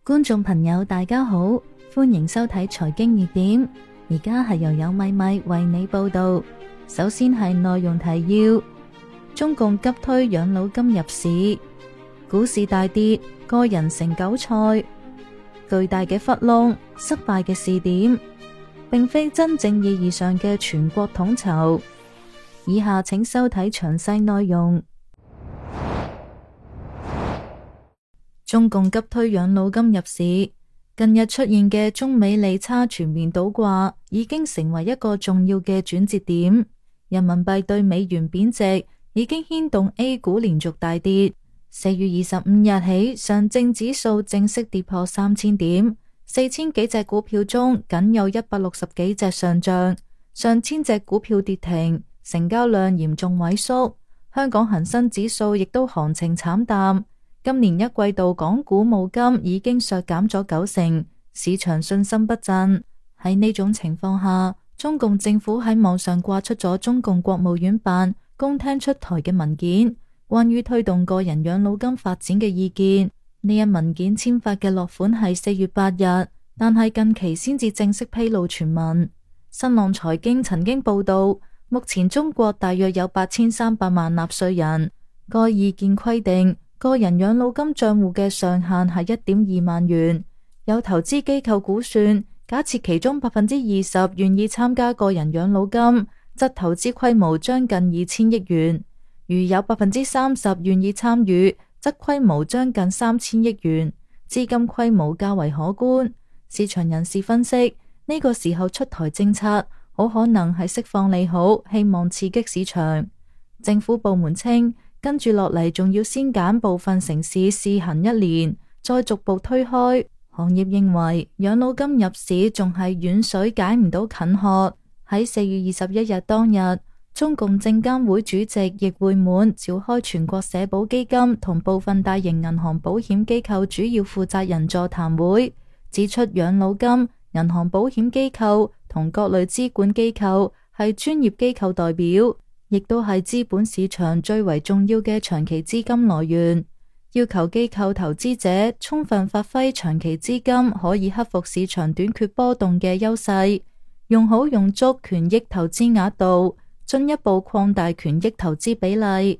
觀眾朋友大家好，歡迎收睇財經熱點，而家係由有米米為你報道。首先係內容提要：中共急推養老金入市，股市大跌，個人成韭菜，巨大嘅窟窿，失敗嘅試點，並非真正意義上嘅全國統籌。以下請收睇詳細內容。中共急推養老金入市，近日出現嘅中美利差全面倒掛，已經成為一個重要嘅轉折點。人民幣對美元貶值已經牽動 A 股連續大跌。4月25日起，上證指數正式跌破3000點，4000幾隻股票中僅有160幾隻上漲，上千隻股票跌停，成交量嚴重萎縮。香港恒生指數亦都行情慘淡。今年一季度港股募金已經削減咗90%，市場信心不振。喺呢種情況下，中共政府喺網上掛出咗中共國務院辦公廳出台嘅文件，關於推動個人養老金發展嘅意見。呢一文件簽發嘅落款係4月8日，但係近期先至正式披露全文。新浪財經曾經報道，目前中國大約有8300萬納稅人。該意見規定，個人養老金賬戶嘅上限係1.2萬元。有投資機構估算，假設其中20%願意參加個人養老金，則投資規模將近2000億元；如有30%願意參與，則規模將近3000億元，資金規模較為可觀。市場人士分析，呢個時候出台政策，好可能係釋放利好，希望刺激市場。政府部門稱，跟住落嚟仲要先揀部分城市試行1年，再逐步推開。行業認為養老金入市仲係遠水解唔到近渴。喺4月21日當日，中共證監會主席易會滿召開全國社保基金同部分大型銀行保險機構主要負責人座談會，指出養老金、銀行保險機構同各類資管機構係專業機構代表，亦都係資本市場最為重要嘅長期資金來源，要求機構投資者充分發揮長期資金可以克服市場短缺波動嘅優勢，用好用足權益投資額度，進一步擴大權益投資比例。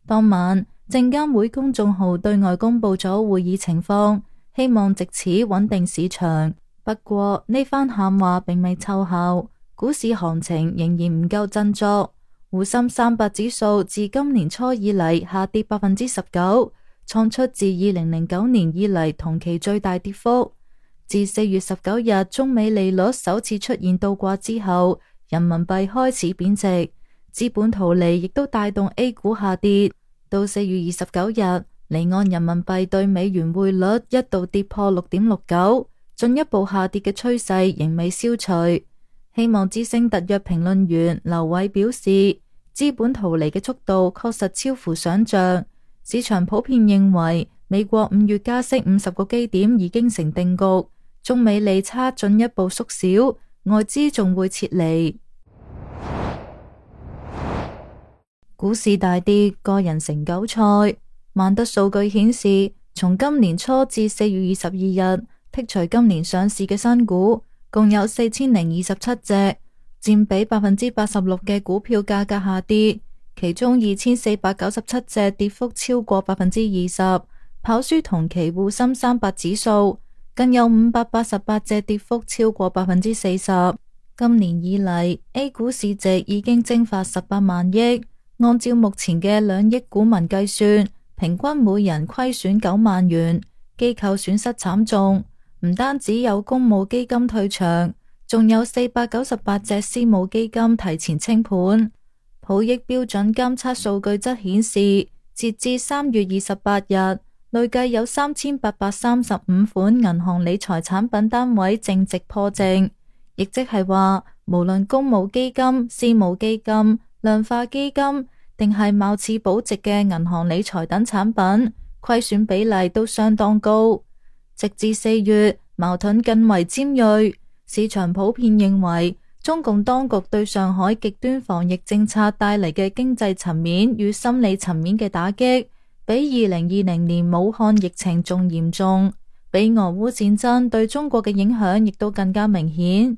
當晚，證監會公眾號對外公布咗會議情況，希望藉此穩定市場。不過呢番喊話並未奏效，股市行情仍然唔夠振作。滬深300指數自今年初以嚟下跌19%，創出自2009年以嚟同期最大跌幅。自4月19日中美利率首次出現倒掛之後，人民幣開始貶值，資本圖利亦都帶動 A 股下跌。到4月29日，離岸人民幣對美元匯率一度跌破6.69，進一步下跌嘅趨勢仍未消除。希望之聲特約評論員劉偉表示，資本逃離嘅速度確實超乎想象，市場普遍認為美國5月加息50個基點已經成定局，中美利差進一步縮小，外資仲會撤離。股市大跌，個人成韭菜。萬德數據顯示，從今年初至4月22日，剔除今年上市嘅新股，共有4027隻，佔比86%嘅股票價格下跌，其中2497隻跌幅超過20%，跑輸同期滬深300指數，更有588隻跌幅超過40%。今年以嚟 ，A 股市值已經蒸發18萬億，按照目前嘅2億股民計算，平均每人虧損9萬元，機構損失慘重。唔單止有公募基金退場，仲有498隻私募基金提前清盤。普益標準監測數據則顯示，截至3月28日，累計有3835款銀行理財產品單位淨值破淨，亦即係話，無論公募基金、私募基金、量化基金，定係貌似保值嘅銀行理財等產品，虧損比例都相當高。直至4月，矛盾更為尖銳，市場普遍認為中共當局對上海極端防疫政策帶嚟嘅經濟層面與心理層面嘅打擊，比2020年武漢疫情仲嚴重，比俄烏戰爭對中國嘅影響亦都更加明顯，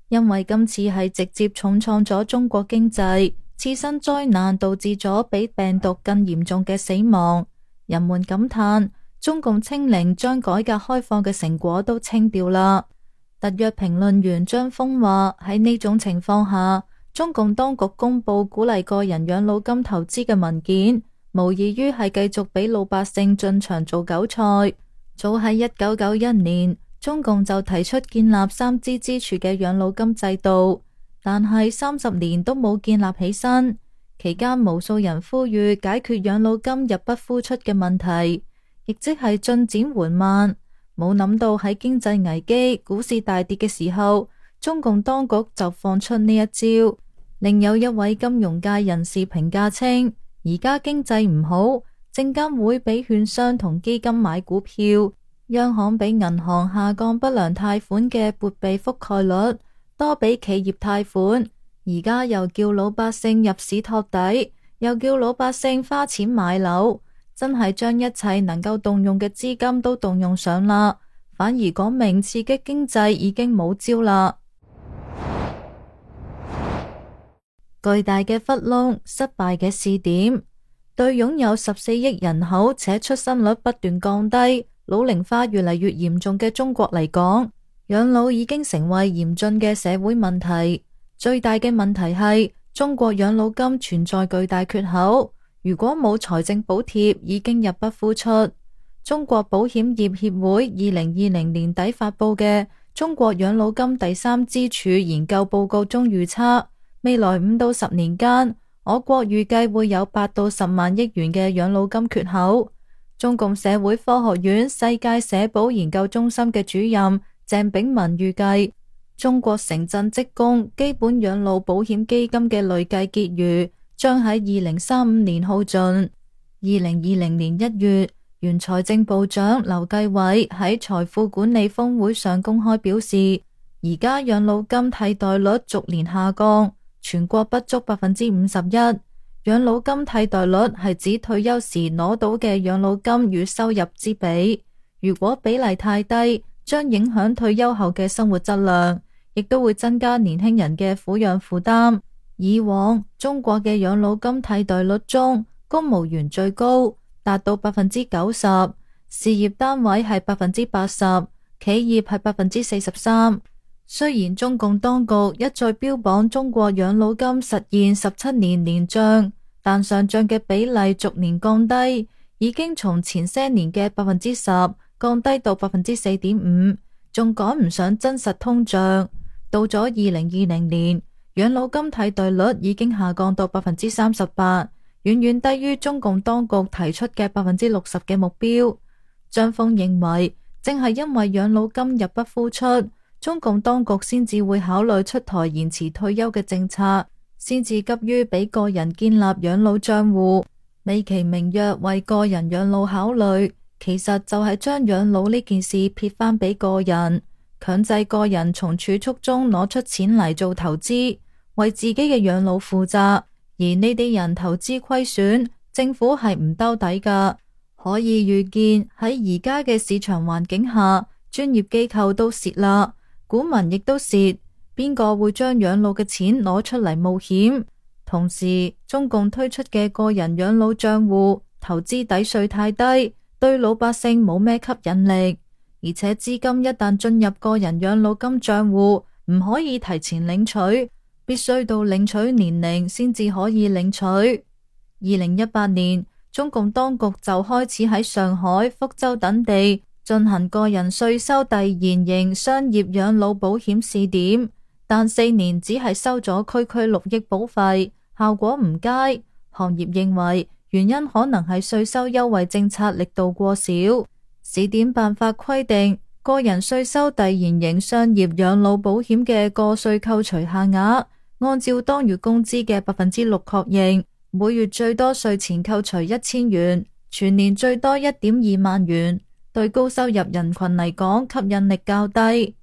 因為今次係直接重創咗中國經濟，次生災難導致咗比病毒更嚴重嘅死亡。人們感嘆，中共清零將改革開放嘅成果都清掉啦。特約評論員張峰話，喺呢種情況下，中共當局公布鼓勵個人養老金投資嘅文件，無異於係繼續俾老百姓進場做韭菜。早喺1991年，中共就提出建立三支支柱嘅養老金制度，但係30年都冇建立起身。期間無數人呼籲解決養老金入不敷出嘅問題，亦即係進展緩慢。冇諗到喺經濟危機、股市大跌嘅時候，中共當局就放出呢一招。另有一位金融界人士評價稱，而家經濟唔好，證監會俾券商同基金買股票，央行俾銀行下降不良貸款嘅撥備覆蓋率，多俾企業貸款，而家又叫老百姓入市托底，又叫老百姓花錢買樓，真係將一切能夠動用嘅資金都動用上啦，反而講明刺激經濟已經冇招啦。巨大嘅窟窿，失敗嘅試點。對擁有14億人口且出生率不斷降低、老齡化越嚟越嚴重嘅中國嚟講，養老已經成為嚴峻嘅社會問題。最大嘅問題係中國養老金存在巨大缺口，如果冇財政補貼，已經入不敷出。中國保險業協會2020年底發佈嘅《中國養老金第三支柱研究報告》中預測，未來5到10年間，我國預計會有8到10萬億元嘅養老金缺口。中共社會科學院世界社保研究中心嘅主任鄭炳文預計，中國城鎮職工基本養老保險基金嘅累計結餘將喺2035年耗盡。2020年1月，原財政部長劉繼偉喺財富管理峰會上公開表示，而家養老金替代率逐年下降，全國不足51%。養老金替代率係指退休時攞到嘅養老金與收入之比，如果比例太低，將影響退休後嘅生活質量，亦都會增加年輕人嘅撫養負擔。以往中國嘅養老金替代率中，公務員最高，達到90%，事業單位係80%，企業係43%。雖然中共當局一再標榜中國養老金實現17年年漲，但上漲嘅比例逐年降低，已經從前些年嘅10%降低到4.5%，仲趕唔上真實通脹。到咗2020年，養老金替代率已經下降到38%，遠遠低於中共當局提出嘅60%嘅目標。張峰認為，正係因為養老金入不敷出，中共當局先至會考慮出台延遲退休嘅政策，先至急於俾個人建立養老賬戶，美其名曰為個人養老考慮，其實就係將養老呢件事撇翻俾個人，強制個人從儲蓄中攞出錢嚟做投資，為自己嘅養老負責。而呢啲人投資虧損，政府係唔兜底噶。可以預見喺而家嘅市場環境下，專業機構都蝕啦，股民亦都蝕，邊個會將養老嘅錢攞出嚟冒險？同時，中共推出嘅個人養老賬戶投資抵稅太低，對老百姓冇咩吸引力，而且資金一旦進入個人養老金賬戶，唔可以提前領取，必須到領取年齡先至可以領取。2018年，中共當局就開始喺上海、福州等地進行個人稅收遞延型商業養老保險試點，但4年只係收咗區6億保費，效果唔佳。行業認為原因可能係稅收優惠政策力度過少。試點辦法規定，個人稅收遞延型商業養老保險嘅個稅扣除限額，按照當月工資嘅6%確認，每月最多稅前扣除1000元，全年最多1.2萬元。對高收入人群嚟講，吸引力較低。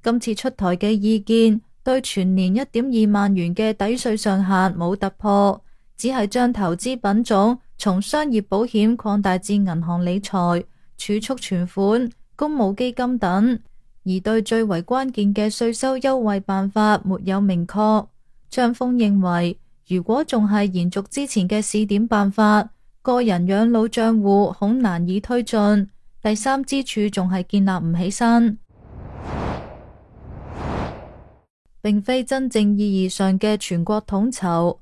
今次出台嘅意見對全年1.2萬元嘅抵稅上限冇突破，只係將投資品種從商業保險擴大至銀行理財、儲蓄存款、公募基金等，而對最為關鍵嘅稅收優惠辦法沒有明確。張峰認為，如果仲係延續之前嘅試點辦法，個人養老賬戶恐難以推進，第三支柱仲係建立唔起身，並非真正意義上嘅全國統籌。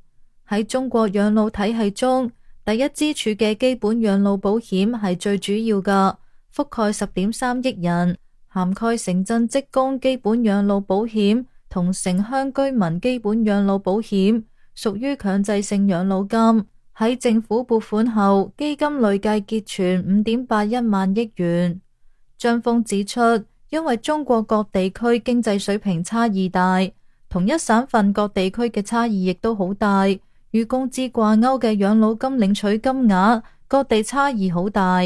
喺中國養老體系中，第一支柱嘅基本養老保險係最主要嘅，覆蓋10.3億人，涵蓋城鎮職工基本養老保險同城鄉居民基本養老保險，屬於強制性養老金。喺政府撥款後，基金累計結存5.81萬億元。張峰指出，因為中國各地區經濟水平差異大，同一省份各地區嘅差異亦都好大，與工資掛鈎嘅養老金領取金額，各地差異好大。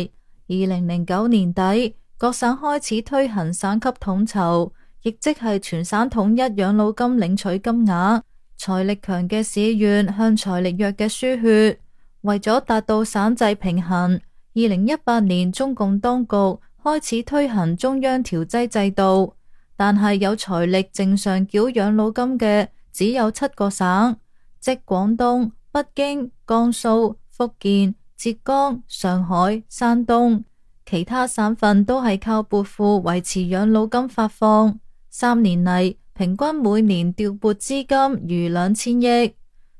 2009年底，各省開始推行省級統籌，亦即係全省統一養老金領取金額。財力強嘅市縣向財力弱嘅輸血，為咗達到省制平衡，2018年中共當局開始推行中央調劑制度，但係有財力正常繳養老金嘅只有7個省，即廣東、北京、江蘇、福建、浙江、上海、山東，其他省份都係靠撥付維持養老金發放。3年嚟，平均每年調撥資金逾2000億。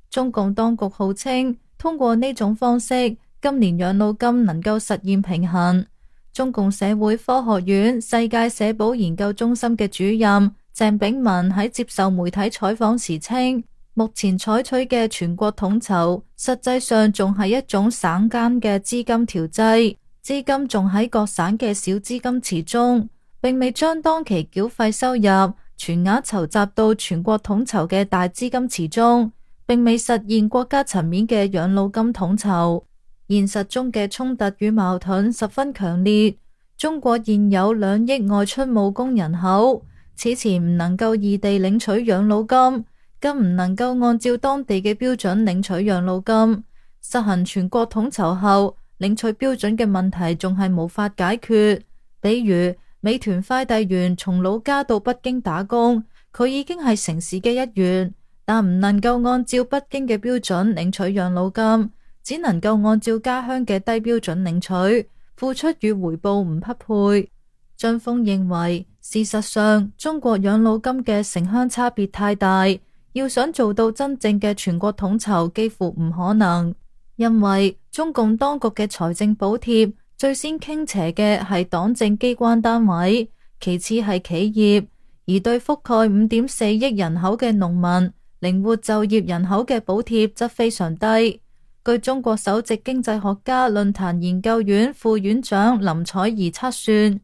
中共當局號稱，通過呢種方式，今年養老金能夠實現平衡。中共社會科學院世界社保研究中心嘅主任鄭炳文喺接受媒體採訪時稱，目前採取嘅全國統籌，實際上仲係一種省間嘅資金調劑，資金仲喺各省嘅小資金池中，並未將當期繳費收入全額籌集到全國統籌嘅大資金池中，並未實現國家層面嘅養老金統籌。現實中嘅衝突與矛盾十分強烈。中國現有2億外出務工人口，此前唔能夠異地領取養老金，更唔能夠按照當地嘅標準領取養老金。實行全國統籌後，領取標準嘅問題仲係無法解決。比如美團快遞員從老家到北京打工，佢已經係城市嘅一員，但唔能夠按照北京嘅標準領取養老金，只能夠按照家鄉嘅低標準領取，付出與回報唔匹配。張峰認為，事實上中國養老金嘅城鄉差別太大，要想做到真正嘅全國統籌幾乎唔可能，因為中共當局嘅財政補貼最先傾斜嘅係黨政機關單位，其次係企業，而對覆蓋5.4億人口嘅農民、靈活就業人口嘅補貼則非常低。據中國首席經濟學家論壇研究院副院長林采宜測算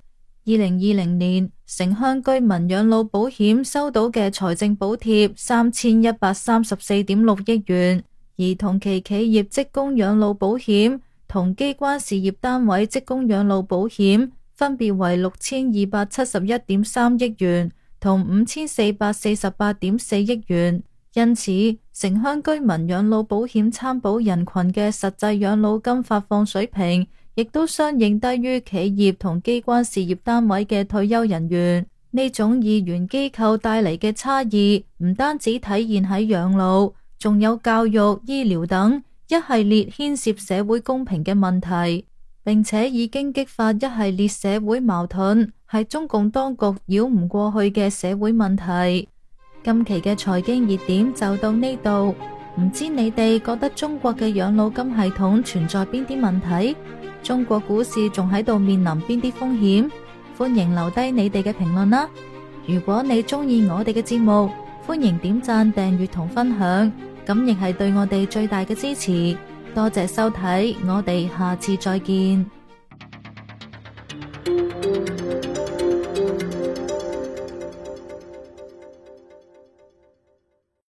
，2020年城鄉居民養老保險收到嘅財政補貼3134.6億元，而同期企業職工養老保險同機關事業單位職工養老保險分別為6271.3億元同5448.4億元。因此，城鄉居民養老保險參保人群嘅實際養老金發放水平，亦都相應低於企業同機關事業單位嘅退休人員。呢種二元機構帶嚟嘅差異，唔單止體現喺養老，仲有教育、醫療等一系列牽涉社會公平嘅問題，並且已經激發一系列社會矛盾，係中共當局繞唔過去嘅社會問題。今期嘅財經熱點就到呢度，唔知你哋覺得中國嘅養老金系統存在邊啲問題？中國股市仲喺度面臨邊啲風險？歡迎留低你哋嘅評論啦！如果你中意我哋嘅節目，歡迎點讚、訂閱同分享，咁亦係對我哋最大嘅支持。多謝收睇，我哋下次再見。